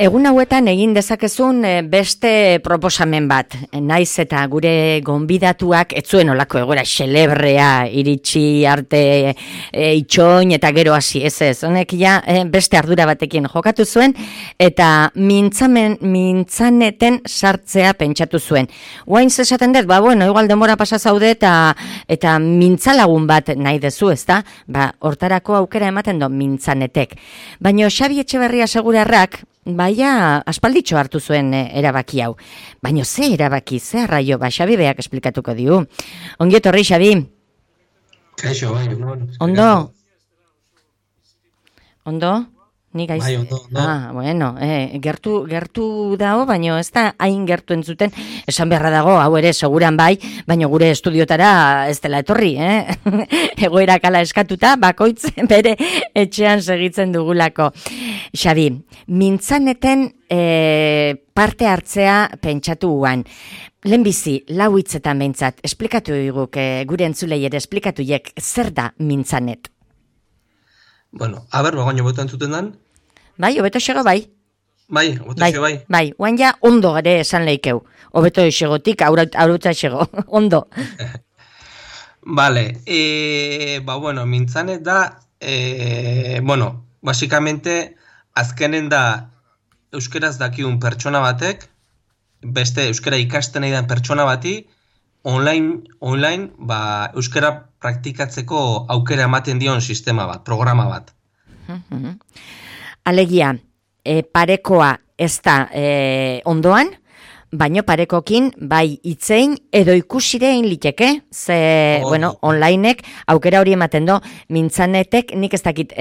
Egun hauetan egin dezakezun beste proposamen bat, naiz eta gure gonbidatuak ez zuen olako egoera xelebrea iritsi arte itxoin eta gero hasi, ez, honek ja beste ardura batekin jokatu zuen eta mintzaneten sartzea pentsatu zuen. Guain esaten dut, igual denbora pasa zaude eta mintzalagun bat nahi dezu, ezta? Hortarako aukera ematen do mintzanetek. Baina Xabi Etxeberria Segurarrak aspalditxo hartu zuen erabaki hau. Baina ze erabaki, ze arraio, Xabi beak esplikatuko diu. Ongi etorri, Xabi. Kaixo, bai. Ondo? Ondo? Ni gaiz? Bai, ondo. Bueno, gertu dago, baina ez da hain gertu entzuten, esan beharra dago, hau ere seguran bai, baina gure estudiotara ez dela etorri, egoera kala eskatuta, bakoitz bere etxean segitzen dugulako. Xabi, mintzaneten parte hartzea pentsatu guan. Lehenbizi, lau hitzetan behintzat, esplikatu diguk, gure entzulei ere esplikatuiek, zer da mintzanet? Bueno, bagoino beto entzuten dan? Bai, obeto xego bai. Bai, obeto xego bai. Bai, guain ja ondo gare esan leikeu. Obeto xegotik, aurutza xego, ondo. Vale, mintzanet da, basikamente, azkenen da euskeraz dakiun pertsona batek, beste euskera ikasten nahi den pertsona bati, online, euskera praktikatzeko aukera ematen dion sistema bat, programa bat. Alegia, parekoa ez da ondoan, baino parekokin bai itzein edo ikusirein liteke, onlinek aukera hori ematen do, mintzanetek nik ez dakit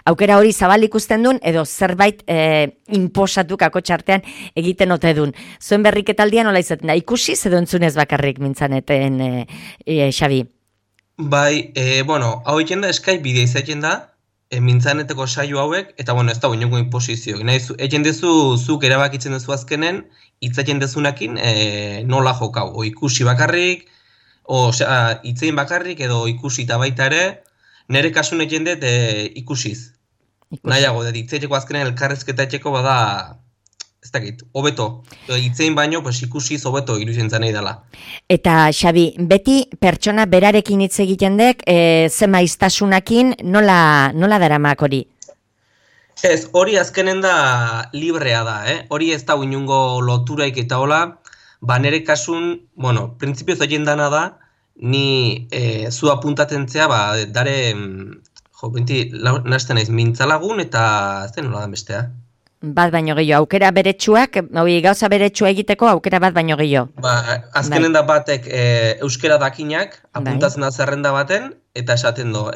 aukera hori zabal ikusten duen edo zerbait inposatu kako txartean egiten ote duen. Zuen berriketaldian nola izaten da, ikusi edo entzunez bakarrik mintzaneten, Xabi? Bai, hau egiten da Skype bidea izaten da, mintzaneteko saio hauek, eta ez da inongo inposizio. Egin dezu, zuk erabakitzen dezu azkenen, hitzaten dezunakin nola jokau. O ikusi bakarrik, hitzein bakarrik, edo ikusi eta baita ere, nire kasun egin dut ikusiz. Nahiago, hitzaiteko azkenen elkarrezketa etxeko bada, ez dakit, hobeto. Hitzein baino, ikusiz hobeto iruditzen nahi dela. Eta, Xabi, beti pertsona berarekin hitz egiten dek, ze maiztasunakin, nola daramak hori? Ez, hori azkenen da librea da, hori ez da inungo loturaik eta hola, nire kasun, printzipioz egin dana da, ni zu apuntatzen zea, dare, nazten naiz, mintzalagun eta ez den nola da bestea. Bat baino gehiago, aukera beretsuak, gauza beretsua egiteko aukera bat baino gehiago. Azkenen da batek euskera dakinak, apuntatzen da zerrenda baten, eta esaten do,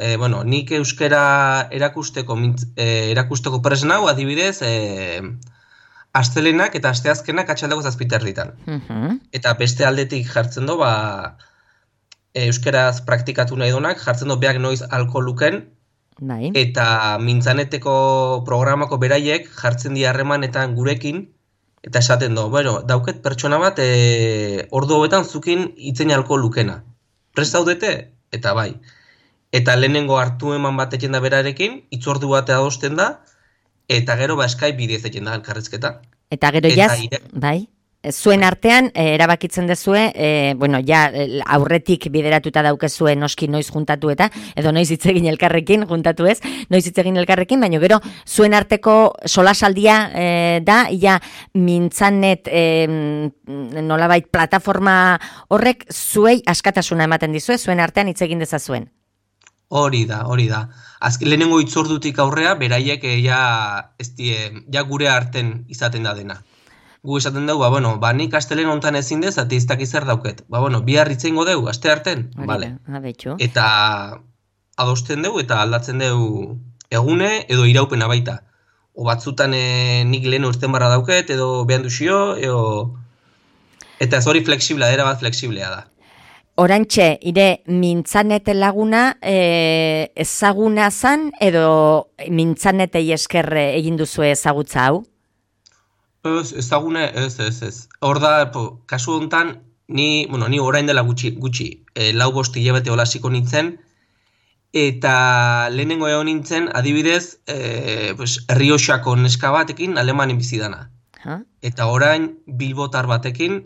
nik euskera erakusteko presnau, adibidez, astelenak eta asteazkenak atxaldeko 7:00. Eta beste aldetik jartzen do, euskeraz praktikatu nahi donak, jartzen do beak noiz alko luken, eta mintzaneteko programako beraiek jartzen di harremanetan gurekin, eta esaten do, dauket pertsona bat ordu hobetan zukin hitzein alko lukena. Prest zaudete? Eta bai. Eta lehenengo hartu eman bat egin da berarekin, hitzordu bat adosten da, eta gero Skype bidez egin da elkarrizketa. Eta gero bai? Zuen artean, erabakitzen dezue, aurretik bideratuta daukezue noski noiz juntatu edo noiz hitz egin elkarrekin, juntatu ez, noiz hitz egin elkarrekin, baina gero zuen arteko solasaldia da, mintzanet nolabait plataforma horrek zuei askatasuna ematen dizue, zuen artean hitz egin dezazuen. Hori da. Azken lehenengo hitzordutik aurrea, beraiek gure arten izaten da dena. Gu esaten dugu, nik astelen hontan ezin dez, eta iztak zer dauket. Bihar hitzeingo dugu, aste arten? Eta adosten dugu eta aldatzen dugu egune edo iraupena baita. O batzutan nik lehen urten barra dauket, edo behan duzio, eta ez hori flexiblea, erabat flexiblea da. Orantxe, ire mintzanet laguna ezaguna zan, edo mintzanetei esker egin duzu ezagutza hau? Ezagune, ez. Hor da, kasu honetan, ni orain dela gutxi, 4-5 hilabete holasiko nintzen, eta lehenengo egon nintzen, adibidez, pues, Errioxako neska batekin Alemanin bizi dana. Eta orain bilbotar batekin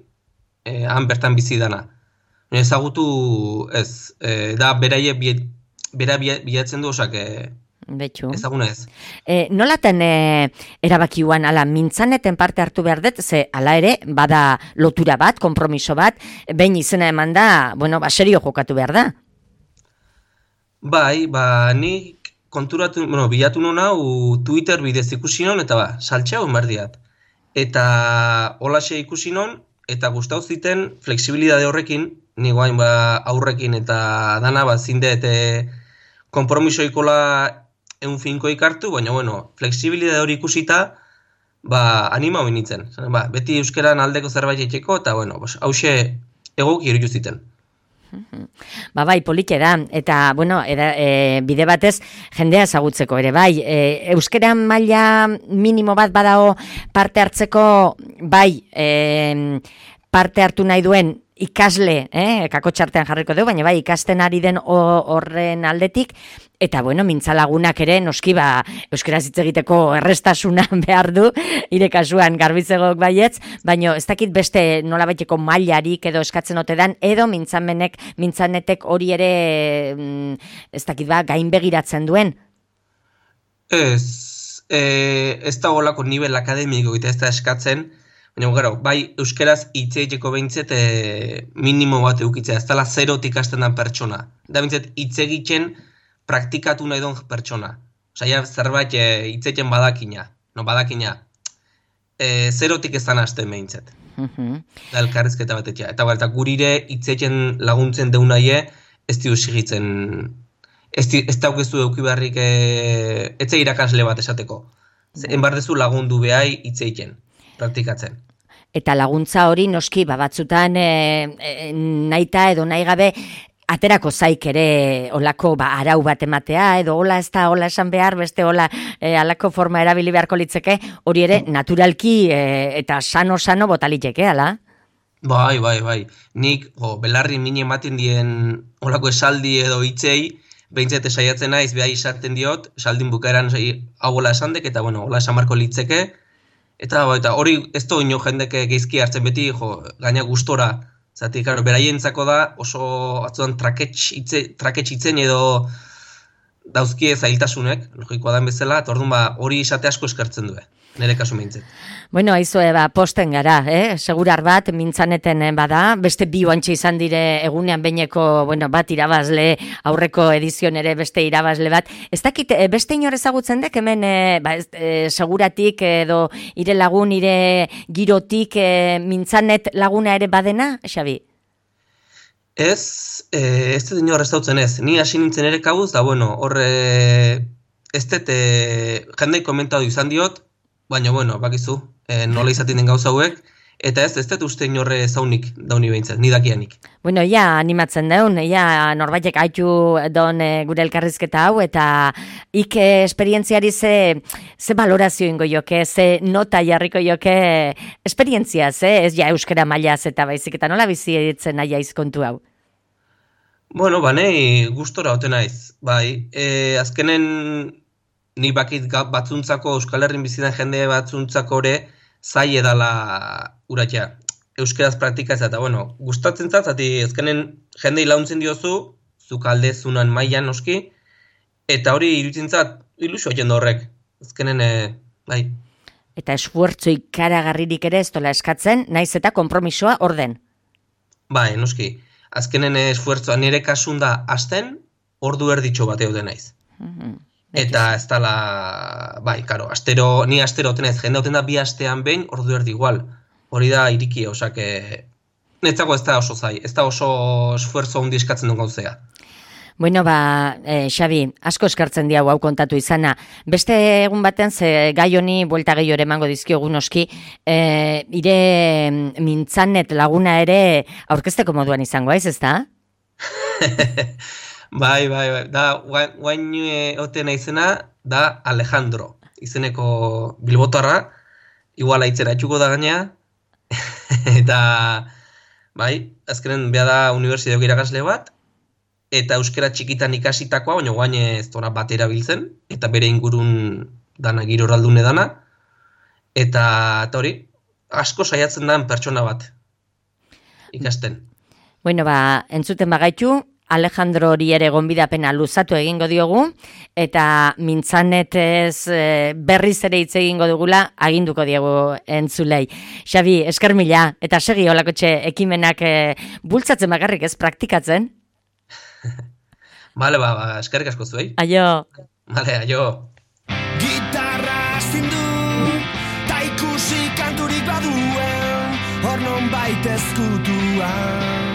han bertan bizi dana. Ezagutu ez, da bera bilatzen du, osak, ezaguna ez. Nolaten erabakiuan, ala, mintzaneten parte hartu behar dut, ze, ala ere, bada lotura bat, konpromiso bat, behin izena eman da, bueno, serio jokatu behar da. Bai, nik konturatu, bilatu nuna, Twitter bidez ikusi non, eta saltxea hon berdiat. Eta holaxe ikusi non, eta gustau ziten flexibilidade horrekin, ni guain aurrekin eta dana zindet konpromiso ikola egun finko ikartu, baina bueno, flexibilidade hori ikusita, anima hori nintzen. Beti euskeran aldeko zerbait etxeko, eta bueno, hause egoki irutu ziten. Bai, polite da, eta, bueno, bide batez jendea ezagutzeko ere, bai, euskeran maila minimo bat badao parte hartzeko, bai, parte hartu nahi duen ikasle, kakotxartean jarriko dugu, baina bai, ikasten ari den horren aldetik, eta bueno, mintzalagunak ere, noski euskaraz hitz egiteko errestasuna behar du, ire kasuan garbizegok baietz, baina ez dakit beste nolabaiteko mailarik edo eskatzen ote dan, edo mintzanetek hori ere, ez dakit gain begiratzen duen? Ez da golako nivel akademiko eta ez da eskatzen, baina gero, bai euskeraz hitz egiteko behintzet minimo bat eukitzea, ez dela zerotik hasten den pertsona. Da behintzet hitz egiten praktikatu nahi duen pertsona. Osa, zerbait hitz egiten badakina. Zerotik ez da hasten behintzet. Da elkarrizketa bat etxea. Eta gurire hitz egiten laguntzen deunaie, ez diu sigitzen, ez daukezu euki beharrik etxe irakasle bat esateko. Enbardezu lagundu behai hitz egiten. Praktikatzen. Eta laguntza hori noski batzutan nahita edo nahi gabe aterako zaik ere olako arau bat ematea, edo hola ez da hola esan behar, beste hola alako forma erabili beharko litzeke, hori ere naturalki eta sano botaliteke, ala? Bai. Nik belarri mini ematen dien olako esaldi edo hitzei, behintzete saiatzen naiz, behai esaten diot, esaldin bukaeran hau hola esan dek, eta bueno, hola esan marko litzeke, eta hori ez da ino jendeke geizki hartzen beti, gaina gustora. Zati, beraientzako da oso atzuan trakets hitzen edo dauzkie zailtasunek, logikoa den bezala, eta orduan hori esate asko eskertzen du, nire kasu meintzet. Bueno, aizue, posten gara, segurar bat, mintzaneten bada, beste bi oantxe izan dire egunean beineko, bat irabazle, aurreko edizion ere beste irabazle bat. Ez dakit, beste inor ezagutzen dek, hemen seguratik edo ire lagun, ire girotik mintzanet laguna ere badena, Xabi? Ez dut inor ez dautzen ez. Ni hasi nintzen ere kabuz, da horre, ez dut jendei komentatu izan diot, baina, bakizu, nola izaten den gauza hauek, eta ez dut uste inorre zaunik dauni behintzat, ni dakianik. Bueno, animatzen daun, norbaitek haitu don gure elkarrizketa hau, eta esperientziari ze valorazio ingo joke, ze nota jarriko joke esperientziaz, ez euskara mailaz eta baizik, eta nola bizitzen nahi aizkontu hau? Bueno, nahi gustora ote naiz, bai, azkenen ni bakit batzuntzako, Euskal Herrin bizitan jende batzuntzako ere, zai edala uratia, euskeraz praktikaz, eta gustatzen zati, ezkenen jendei launtzen diozu, zuk aldezunan mailan noski, eta hori iruditzen zat, ilusio jende horrek, ezkenen, bai. Eta esfuertzo ikaragarririk ere ez dola eskatzen, naiz eta konpromisoa orden. Bai, noski, azkenen esfuertzoa nire kasun da hasten, ordu erditxo bateo denaiz. Eta ez dala, bai, karo, ni astero otenez, jende oten da bi astean behin, ordu erdi igual. Hori da iriki, osak, netzako ez da oso zai, ez da oso esfuerzo hundi eskatzen duen gauzea. Bueno, Xabi, asko eskartzen diau hau kontatu izana. Beste egun baten, ze gai honi buelta gehiore emango dizkiogun oski, ire mintzanet laguna ere aurkezteko moduan izango, ez da? Bai, da, guain ote naizena, da Alejandro, izeneko bilbotarra, igual aitzera etxuko da gaina, eta, bai, azkenen beha da unibertsitateko irakasle bat, eta euskera txikitan ikasitakoa, baina guain ez dora bat erabiltzen, eta bere ingurun dana giroraldune dana, eta hori, asko saiatzen dan pertsona bat ikasten. Bueno, entzuten bagaitu, Alejandro hori ere gonbidapena luzatu egingo diogu, eta mintzanetez berriz ere hitz egingo dugula, aginduko diegu entzulei. Xabi, esker mila, eta segi holakotxe ekimenak bultzatzen bakarrik ez praktikatzen? Bale, eskerrik asko zuei. Aio. Bale, aio. Gitarra zindu, ta ikusi kanturik baduen, hor non baita ezkutuan.